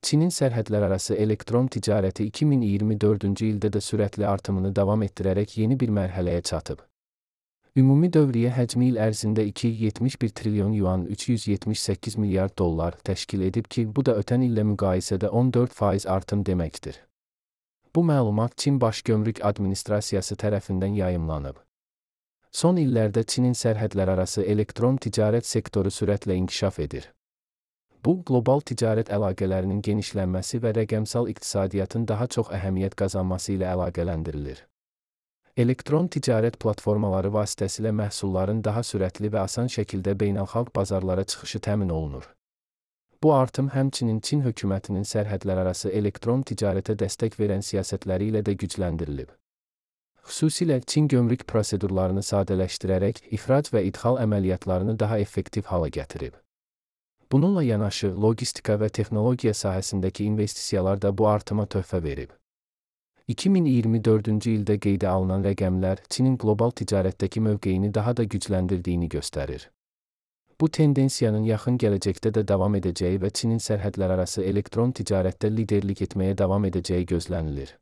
Çinin sərhədlərarası elektron ticarəti 2024-cü ildə də sürətli artımını davam etdirərək yeni bir mərhələyə çatıb. Ümumi dövriyyə həcmi il ərzində 2,71 trilyon yuan 378 milyard dollar təşkil edib ki, bu da ötən illə müqayisədə 14% artım deməkdir. Bu məlumat Çin Baş Gömrük Administrasiyası tərəfindən yayımlanıb. Son illərdə Çinin sərhədlərarası elektron ticarət sektoru sürətlə inkişaf edir. Bu, qlobal ticarət əlaqələrinin genişlənməsi və rəqəmsal iqtisadiyyatın daha çox əhəmiyyət qazanması ilə əlaqələndirilir. Elektron ticarət platformaları vasitəsilə məhsulların daha sürətli və asan şəkildə beynəlxalq bazarlara çıxışı təmin olunur. Bu artım həmçinin Çin hökumətinin sərhədlərarası elektron ticarətə dəstək verən siyasətləri ilə də gücləndirilib. Xüsusilə Çin gömrük prosedurlarını sadələşdirərək ixrac və idxal əməliyyatlarını daha effektiv hala gətirib. Bununla yanaşı, logistika və texnologiya sahəsindəki investisiyalar da bu artıma töhfə verib. 2024-cü ildə qeydə alınan rəqəmlər Çinin qlobal ticarətdəki mövqeyini daha da gücləndirdiyini göstərir. Bu tendensiyanın yaxın gələcəkdə də davam edəcəyi və Çinin sərhədlərarası elektron ticarətdə liderlik etməyə davam edəcəyi gözlənilir.